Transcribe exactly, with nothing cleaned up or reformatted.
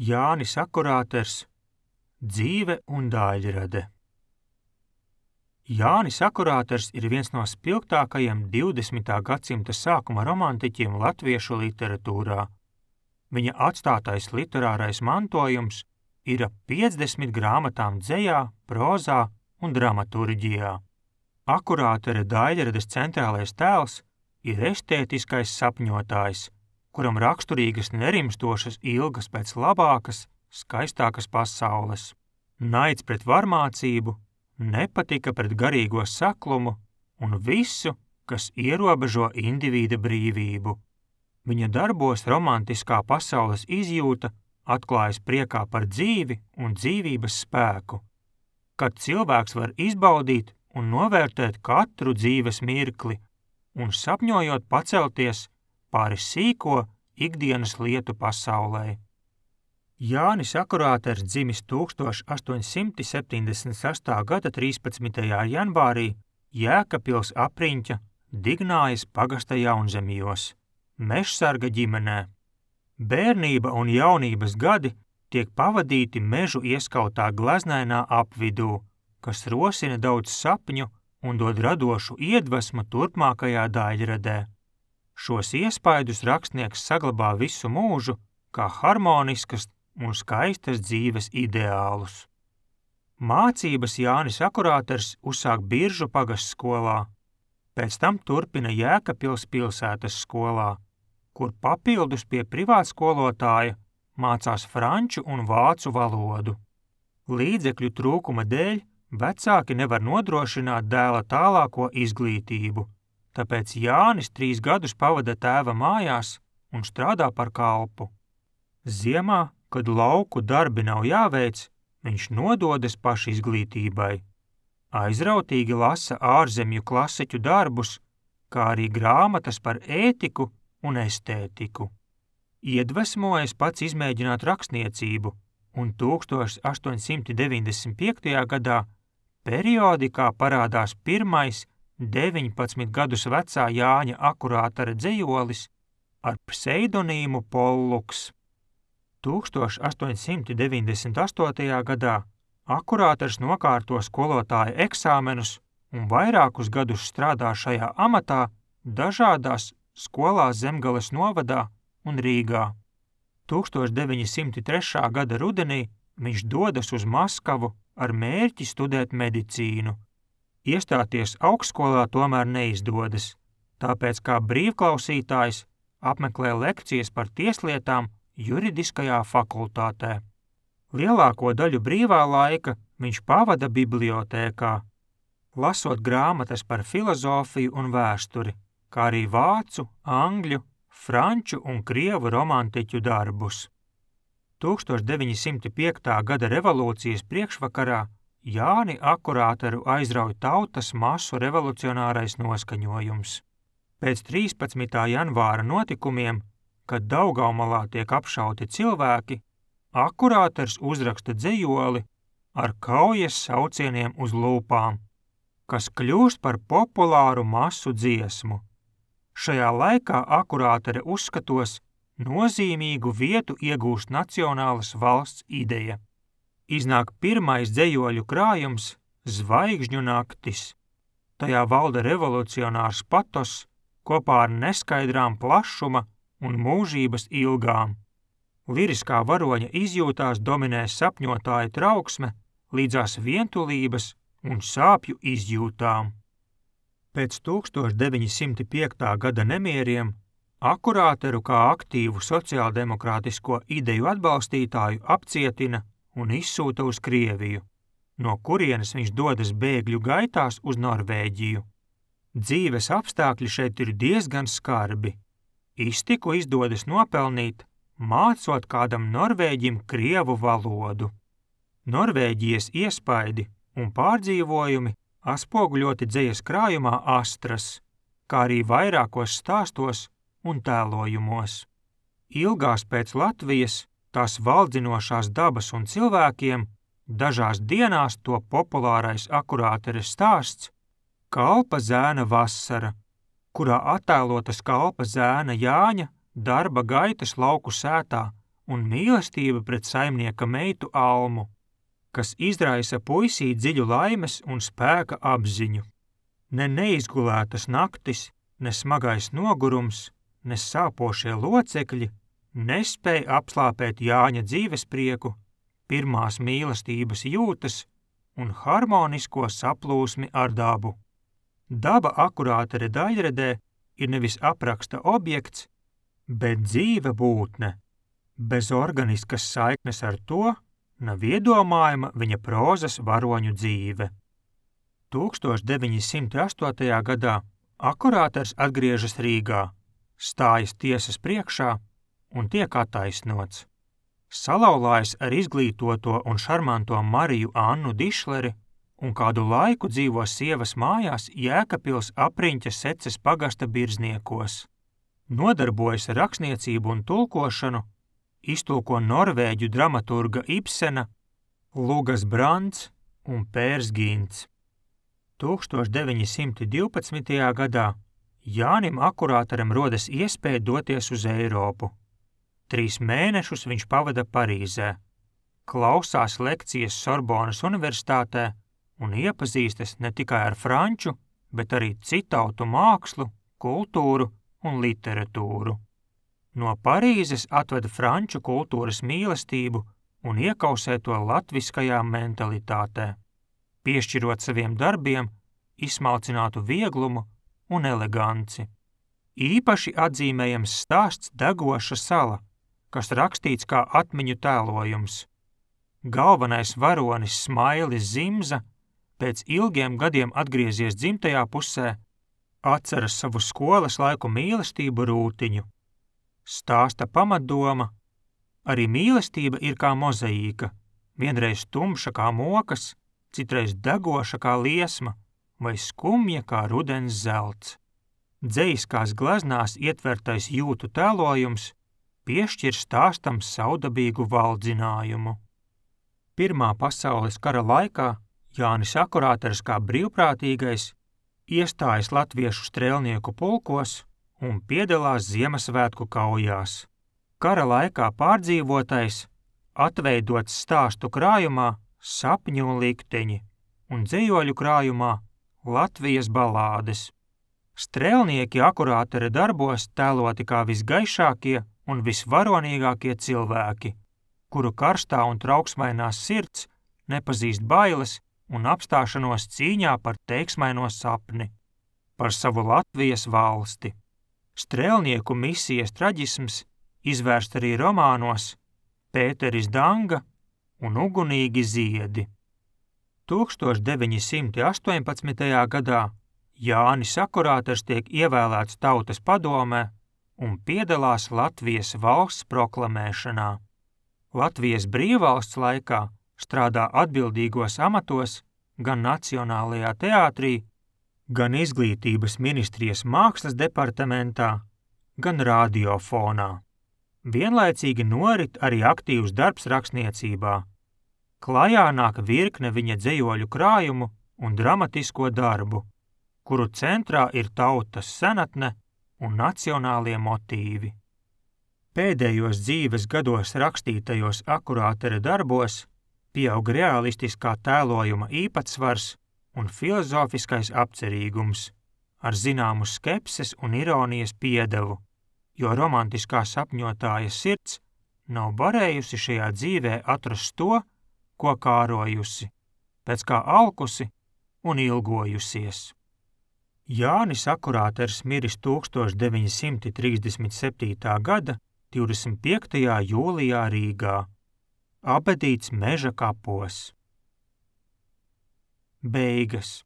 Jānis Akurāters, dzīve un daļrade. Jānis Akurāters ir viens no spilgtākajiem divdesmitā gadsimta sākuma romantiķiem latviešu literatūrā. Viņa atstātais literārais mantojums ir ap piecdesmit grāmatām dzejā, prozā un dramaturģijā. Akurātera daļrades centrālais tēls ir estētiskais sapņotājs, kuram raksturīgas nerimstošas ilgas pēc labākas, skaistākas pasaules, naids pret varmācību, nepatika pret garīgo saklumu un visu, kas ierobežo indivīda brīvību. Viņa darbos romantiskā pasaules izjūta atklājas priekā par dzīvi un dzīvības spēku, kad cilvēks var izbaudīt un novērtēt katru dzīves mirkli un sapņojot pacelties pāri sīko ikdienas lietu pasaulē. Jānis Akurāters dzimis tūkstoš astoņsimt septiņdesmit sestā gada trīspadsmitajā janvārī Jēkabpils apriņķa Dignājas pagasta Jaunzemjos, mežsarga ģimenē. Bērnība un jaunības gadi tiek pavadīti mežu ieskautā gleznainā apvidū, kas rosina daudz sapņu un dod radošu iedvesmu turpmākajā daļradē. Šos iespaidus rakstnieks saglabā visu mūžu kā harmoniskas un skaistas dzīves ideālus. Mācības Jānis Akurāters uzsāk Biržu pagastskolā, pēc tam turpina Jēkabpils pilsētas skolā, kur papildus pie privātskolotāja mācās franču un vācu valodu. Līdzekļu trūkuma dēļ vecāki nevar nodrošināt dēla tālāko izglītību, tāpēc Jānis trīs gadus pavada tēva mājās un strādā par kalpu. Ziemā, kad lauku darbi nav jāveic, viņš nododas pašizglītībai. Aizrautīgi lasa ārzemju klasiķu darbus, kā arī grāmatas par ētiku un estētiku. Iedvesmojas pats izmēģināt rakstniecību, un tūkstoš astoņsimt deviņdesmit piektajā gadā periodikā parādās pirmais deviņpadsmit gadus vecā Jāņa Akurātera dzejolis ar pseidonīmu Polluks. tūkstoš astoņsimt deviņdesmit astotajā gadā Akurāters nokārto skolotāja eksāmenus un vairākus gadus strādā šajā amatā dažādās skolās Zemgales novadā un Rīgā. tūkstoš deviņi simti trešā gada rudenī viņš dodas uz Maskavu ar mērķi studēt medicīnu. Iestāties augstskolā tomēr neizdodas, tāpēc kā brīvklausītājs apmeklē lekcijas par tieslietām juridiskajā fakultātē. Lielāko daļu brīvā laika viņš pavada bibliotēkā, lasot grāmatas par filozofiju un vēsturi, kā arī vācu, angļu, franču un krievu romantiķu darbus. tūkstoš deviņi simti piektā gada revolūcijas priekšvakarā Jāni Akurāteru aizrauj tautas masu revolucionārais noskaņojums. Pēc trīspadsmitā janvāra notikumiem, kad Daugavmalā tiek apšauti cilvēki, Akurāters uzraksta dzejoli ar kaujas saucieniem uz lūpām, kas kļūst par populāru masu dziesmu. Šajā laikā Akurātere uzskatos nozīmīgu vietu iegūst nacionālas valsts ideja. Iznāk pirmais dzejoļu krājums Zvaigžņu naktis. Tajā valda revolucionārs patos kopā ar neskaidrām plašuma un mūžības ilgām. Liriskā varoņa izjūtās dominē sapņotāja trauksme līdzās vientulības un sāpju izjūtām. Pēc tūkstoš deviņi simti piektā gada nemieriem Akurāteru kā aktīvu sociāldemokrātisko ideju atbalstītāju apcietina un izsūta uz Krieviju, no kurienes viņš dodas bēgļu gaitās uz Norvēģiju. Dzīves apstākļi šeit ir diezgan skarbi. Iztiku izdodas nopelnīt, mācot kādam norvēģim krievu valodu. Norvēģijas iespaidi un pārdzīvojumi atspoguļoti dzejas krājumā Astras, kā arī vairākos stāstos un tēlojumos. Ilgās pēc Latvijas, tās valdzinošās dabas un cilvēkiem, dažās dienās to populārais Akurāteres stāsts Kalpa zēna vasara, kurā attēlotas kalpa zēna Jāņa darba gaitas lauku sētā un mīlestība pret saimnieka meitu Almu, kas izraisa puisī dziļu laimes un spēka apziņu. Ne neizgulētas naktis, ne smagais nogurums, ne sāpošie locekļi nespēja apslāpēt Jāņa dzīvesprieku, pirmās mīlestības jūtas un harmonisko saplūsmi ar dabu. Daba akurātere daļradē ir nevis apraksta objekts, bet dzīve būtne. Bez organiskas saiknes ar to nav iedomājama viņa prozas varoņu dzīve. tūkstoš deviņi simti astotajā gadā akurāters atgriežas Rīgā, stājas tiesas priekšā un tiek attaisnots. Salauzājas ar izglītoto un šarmanto Mariju Annu Dišleri un kādu laiku dzīvo sievas mājās Jēkabpils apriņķa Seces pagasta Birzniekos. Nodarbojas ar rakstniecību un tulkošanu, iztulko norvēģu dramaturga Ibsena, Lugas Brants un Pērs Gints. tūkstoš deviņi simti divpadsmitajā gadā Jānim akurāteram rodas iespēja doties uz Eiropu. Trīs mēnešus viņš pavada Parīzē, klausās lekcijas Sorbonas universitātē un iepazīstas ne tikai ar franču, bet arī citautu mākslu, kultūru un literatūru. No Parīzes atveda franču kultūras mīlestību un iekausē to latviskajā mentalitātē, piešķirot saviem darbiem izsmalcinātu vieglumu un eleganci. Īpaši atzīmējams stāsts Degoša sala, kas rakstīts kā atmiņu tēlojums. Galvenais varonis Smailis Zimza pēc ilgiem gadiem atgriezies dzimtajā pusē, atceras savu skolas laiku mīlestību Rūtiņu. Stāsta pamatdoma: arī mīlestība ir kā mozaīka, vienreiz tumša kā mokas, citreiz degoša kā liesma vai skumja kā rudens zelts. Dzejiskās gleznās ietvertais jūtu tēlojums piešķir stāstam saudabīgu valdzinājumu. Pirmā pasaules kara laikā Jānis akurāters kā brīvprātīgais iestājas latviešu strēlnieku pulkos un piedalās Ziemassvētku kaujās. Kara laikā pārdzīvotais atveidots stāstu krājumā Sapņu un likteņi un dzejoļu krājumā Latvijas balādes. Strēlnieki akurātera darbos tēloti kā visgaišākie un visvaronīgākie cilvēki, kuru karstā un trauksmainās sirds nepazīst bailes un apstāšanos cīņā par teiksmaino sapni, par savu Latvijas valsti. Strēlnieku misijas traģisms izvērst arī romānos Pēteris Danga un Ugunīgi ziedi. tūkstoš deviņi simti astoņpadsmitajā gadā Jānis akurāters tiek ievēlēts Tautas padomē un piedalās Latvijas valsts proklamēšanā. Latvijas brīvvalsts laikā strādā atbildīgos amatos gan Nacionālajā teātrī, gan Izglītības ministrijas mākslas departamentā, gan radiofonā. Vienlaicīgi norit arī aktīvs darbs rakstniecībā. Klajā nāk virkne viņa dzejoļu krājumu un dramatisko darbu, kuru centrā ir tautas senatne un nacionālie motīvi. Pēdējos dzīves gados rakstītajos akurātera darbos pieaug realistiskā tēlojuma īpatsvars un filozofiskais apcerīgums, ar zināmu skepses un ironijas piedevu, jo romantiskā sapņotāja sirds nav varējusi šajā dzīvē atrast to, ko kārojusi, pēc kā alkusi un ilgojusies. Jānis akurāters miris tūkstoš deviņi simti trīsdesmit septītā gada divdesmit piektajā jūlijā Rīgā, apbedīts Meža kapos. Beigas.